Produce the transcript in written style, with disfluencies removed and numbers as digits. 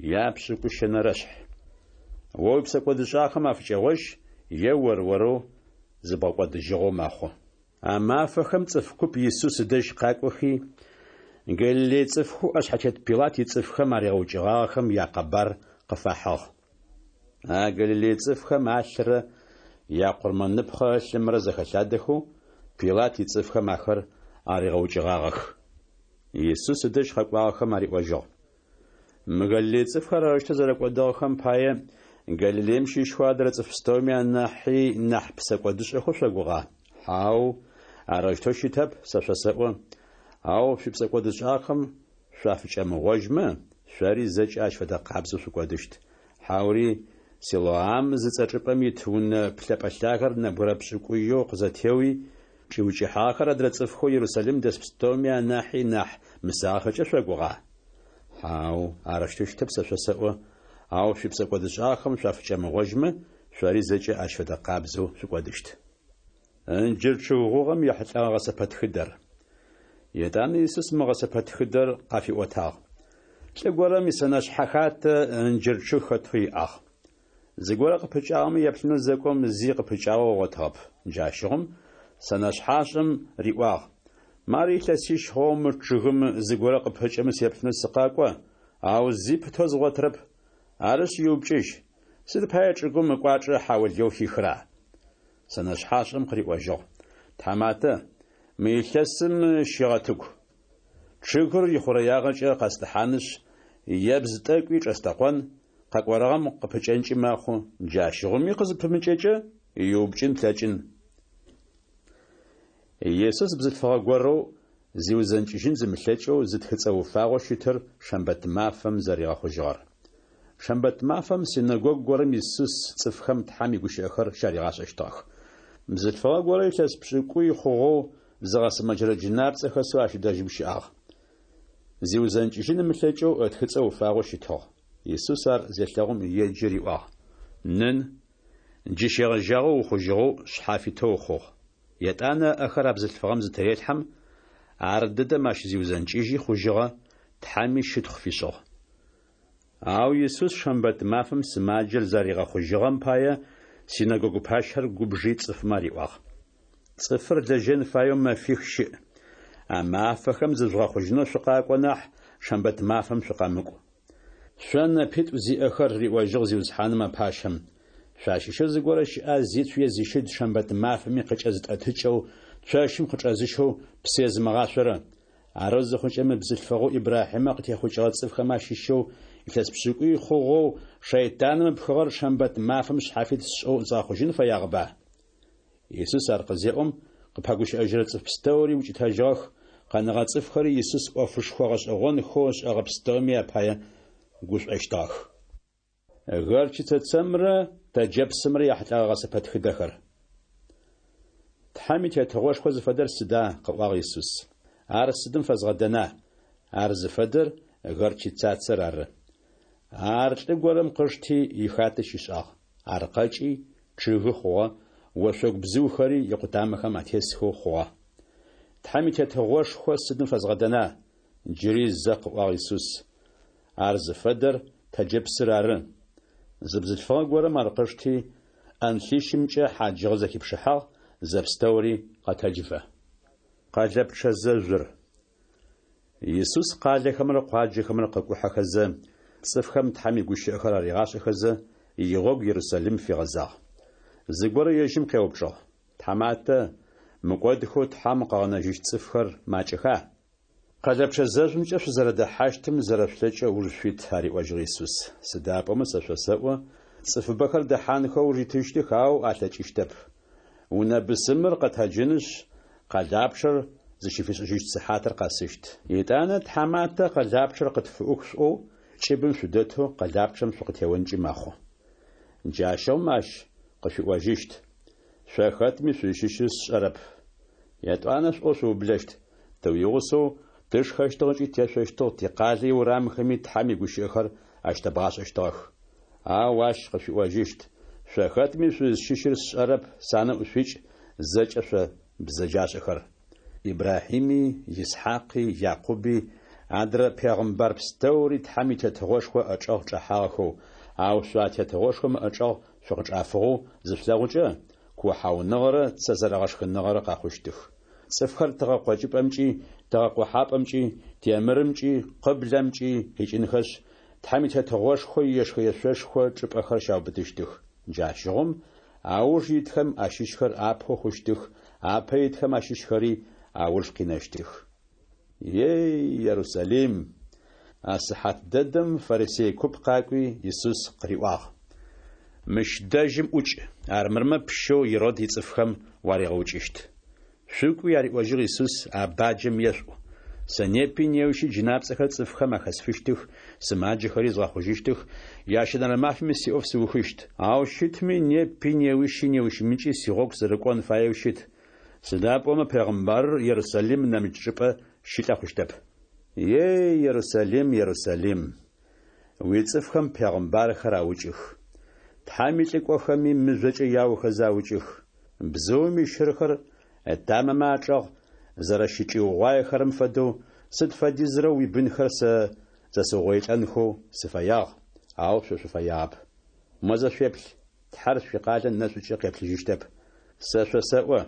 Япшӏыкӏущэнэрэшъхь. О уипсэкӏодышӏагъэхэм афыкӏэгъожь, е ор-орэу зыбгъэкӏодыжьыгъэу мэхъу. А мафэхэм цӏыф куп Исус ыдэжь къакӏохи, Галилей цӏыфхэу ӏэшъхьэтет Пилат ицӏыфхэм аригъэукӏыгъагъэхэм якъэбар къыфахьыгъ. А Галилей цӏыфхэм алърэ якъурмэныпхъэ ылъымрэ зэхэлъадэхэу, Пилат ицӏыфхэм ахэр аригъэукӏыгъагъэх. Исус ыдэжь къэкӏуагъэхэм ариӏожьыгъ: Мы Галилей цӏыфхэр арэущтэу зэрэкӏодыгъэхэм пае, Галилеем щыщхэу адрэ цӏыф пстэуми анахьи нахь псэкӏодышӏэхэу шъогугъа? Хьау, арэущтэу щытэп, сэ шъосэӏо. Ау шъуипсэкӏодышӏагъэхэм шъуафыкӏэмыгъожьмэ, шъори зэкӏэ ащ фэдэ къабзэу шъукӏодыщт. Хьаури Силоам зыцӏэ чӏыпӏэм ит унэ плъэпӏэ лъагэр нэбгырэ пшӏыкӏуеу къызэтеуи, чӏиукӏыхьагъэхэр адрэ цӏыфхэу Ерусалим дэс пстэуми анахьи нахь мысагъэхэкӏэ шъогугъа? Хьау, арэущтэу щытэп сэ шъосэӏо, ау шъуипсэкӏодышӏагъэхэм шъуафыкӏэмыгъожьмэ, шъори зэкӏэ ащ фэдэ къабзэу шъукӏодыщт. Ынджыр чъыг гъугъэм ехьылӏэгъэ гъэсэпэтхыдэр. Етӏанэ Исус мы гъэсэпэтхыдэр къафиӏотагъ. Лӏы горэм исэнэшъхьэ хатэ ынджыр чъыг хэтэу иӏагъ. Зыгорэ къыпыкӏагъэмэ еплъынэу зэкӏом зи къыпыкӏагъэу ыгъотыгъэп. Джащыгъум сэнэшъхьашӏэм риӏуагъ: Мары илъэсищ хъугъэу мы чъыгым зыгорэ къыпыкӏэмэ сеплъынэу сыкъэкӏо, ау зи пытэу згъотырэп. Арышъ, иупкӏыжь, сыд пае чӏыгум ыкӏуачӏэ хьаулыеу хихра? Сэнэшъхьашӏэм къыриӏожьыгъ: Тхьаматэ, мы илъэсым щегъэтыгу. Чъыгыр ихъурэягъэкӏэ къэстӏыхьанышъ, ебз тӏэкӏуи чӏэстэкъон, къэкӏорэгъэм къыпыкӏэнкӏи мэхъу, джащыгъуми къызыпымыкӏэкӏэ, иупкӏын плъэкӏын. Исус бзылъфыгъэ горэу зиузэнкӏыжьын зымылъэкӏэу зытхыцӏэ уфагъэу щытыр шэмбэт мафэм зэригъэхъужьыгъэр. Шэмбэт мафэм синэгогу горэм Исус цӏыфхэм Тхьэм игущыӏэхэр щаригъашӏэщтыгъэх. Бзылъфыгъэ горэ илъэс пшӏыкӏуй хъугъэу зыгъэсымэджэрэ джынапцӏэ хэсэу ащ дэжьым щыӏагъ. Зиузэнкӏыжьын ымылъэкӏэу ытхыцӏэ уфагъэу щытыгъ. Исус ар зелъэгъум еджи риӏуагъ: Нын, джы щегъэжьагъэу ухъужьыгъэу шъхьафитэу ухъугъ. Етӏанэ ыӏэхэр а бзылъфыгъэм зытырелъхьэм, ар дэдэм ащ зиузэнкӏыжьи хъужьыгъэ, Тхьэми щытхъу фишӏыгъ. Ау Исус шэмбэт мафэм сымаджэр зэригъэхъужьыгъэм пае синэгогу пащэр губжи цӏыфмэ ариӏуагъ: Цӏыфыр лэжьэн фаеу мэфих щыӏ. А мафэхэм зыжъугъэхъужьынэу шъукъакӏо нахь, шэмбэт мафэм шъукъэмыкӏу. Шъо нэпитӏу зиӏэхэр, риӏожьыгъ Зиусхьаным а пащэм, шъуащыщэу зыгорэ щыӏа зицу е зищыд шэмбэт мафэми къыкӏэзытӏэтыкӏэу, цощым къычӏэзыщэу псы езымыгъашъорэ? Арэу зыхъукӏэ мы бзылъфыгъэу Ибрахьимэ къытехъукӏыгъэ цӏыфхэм ащыщэу илъэс пшӏыкӏуй хъугъэу шэйтаным ыпхыгъэр шэмбэт мафэм шъхьафит сшӏэу згъэхъужьын фэягъэба? Исус ар къызеӏом, къыпэгущыӏэжьырэ цӏыф пстэури укӏытэжьыгъэх, къэнэгъэ цӏыфхэри Исус ӏофышхо гъэшӏэгъонхэу ышӏэгъэ пстэуми апае гушӏощтыгъэх. Горчицэ цэмрэ тэджэпсымрэ яхьылӏэгъэ гъэсэпэтхыдэхэр. Тхьэм и Тетыгъошхо зыфэдэр сыда? къыӏуагъ Исус. Ар сыдым фэзгъэдэна? Ар зыфэдэр горчицацэр ары. Ар лӏы горэм къышти, ихатэ щишӏагъ. Ар къэкӏи, чъыгы хъугъэ, ошъогу бзыухэри икъутамэхэм атесхэу хъугъэ. Тхьэм и Тетыгъошхо сыдым фэзгъэдэна? Джыри зэ къыӏуагъ Исус. Ар зыфэдэр тэджэпсыр ары. Зы бзылъфыгъэ горэм ар къышти, ӏэнлъищымкӏэ хьаджыгъэ зэхипшыхьагъ, зэпстэури къэтэджыфэ. Къэлэпчъэ зэжъур. Исус къалэхэмрэ къуаджэхэмрэ къыкӏухьэхэзэ, цӏыфхэм Тхьэм игущыӏэхэр аригъашӏэхэзэ, игъогу Ерусалим фигъэзагъ. Зыгорэ ежьым къеупчӏыгъ: Тхьаматэ, мыкӏодхэу Тхьэм къыгъэнэжьыщт цӏыфхэр макӏэха? Къэлэпчъэ зэжъумкӏэ шъузэрэдэхьащтым зэрэшъулъэкӏэу ыуж шъуит, ариӏожьыгъ Исус. Сыда пӏомэ сэ шъосэӏо, цӏыфыбэхэр дэхьанхэу ыуж итыщтых, ау алъэкӏыщтэп. Унэ бысымыр къэтэджынышъ, къэлапчъэр зыщыфишӏыжьыщт сыхьатыр къэсыщт. Етӏанэ тхьаматэ къэлапчъэр къытфыӏух шъуӏоу, кӏыбым шъудэтэу къэлапчъэм шъукъытеонкӏи мэхъу. Джащыгъум ащ къышъуиӏожьыщт: Шъо хэтми шъузщыщыр сшӏэрэп. Етӏуанэ шъуӏоу шъуублэщт: Тыуигъусэу тышхэщтыгъ ыкӏи тешъощтыгъ, тикъалэ иурамхэми Тхьэм игущыӏэхэр ащытэбгъашӏэщтыгъэх. Ау ащ къышъуиӏожьыщт: Шъо хэтми шъузщыщыр сшӏэрэп, санэӏу шъуикӏ, зэкӏэ шъо бзэджашӏэхэр. Ибрахьими, Исхьакъи, Якъуби Адрэ пегъымбар пстэури Тхьэм и Тетыгъошхо ыӏэчӏэгъ чӏэхьагъэхэу, ау шъо а тетыгъошхом ыӏэчӏэгъ шъукъычӏафыгъэу зышъулъэгъукӏэ, куохьауныгъэрэ цэ зэрэгъэшхыныгъэрэ къэхъущтых. Цӏыфхэр тыгъэ къокӏыпӏэмкӏи, тыгъэ къохьапӏэмкӏи, темырымкӏи, къыблэмкӏи къикӏынхэшъ, Тхьэм и Тетыгъошхо иешхэешъошхо чӏыпӏэхэр щаубытыщтых. Джащыгъум ауж итхэм ащыщхэр апэу хъущтых, апэ итхэм ащыщхэри ауж къинэщтых. Ей, Ерусалим! А сыхьат дэдэм фарисей куп къакӏуи, Исус къыриӏуагъ. Мыщ дэжьым ӏукӏ, армырмэ пщэу Ирод ицӏыфхэм уаригъэукӏыщт. Шъукӏуи, ариӏожьыгъ Исус, а баджэм ешъуӏу, Сэ непи неущи джынапцӏэхэр цӏыфхэм ахэсфыщтых, сымаджэхэри згъэхъужьыщтых, ящэнэрэ мафэми сиӏоф сыухыщт. Ау щытми, непи, неущи, неущмыкӏи сигъогу сырыкӏон фаеу щыт, сыда пӏомэ пегъымбарыр Ерусалим нэмыкӏ чӏыпӏэ щылӏэ хъущтэп. Ей, Ерусалим, Ерусалим! Уицӏыфхэм пегъымбархэр аукӏых. Тхьэм илӏыкӏохэми мыжъокӏэ яохэзэ аукӏых. Бзыум ищырхэр ытамэмэ ачӏэгъ зэрэщычӏиугъуаехэрэм фэдэу, сыд фэдизрэ уибынхэр сэ зэсыугъоилӏэнхэу сыфэягъ, ау шъо шъуфэягъэп. Мо зэ шъуеплъ, Тхьэр шъуикъалэ нэшӏукӏэ къеплъыжьыщтэп. Сэ шъосэӏо,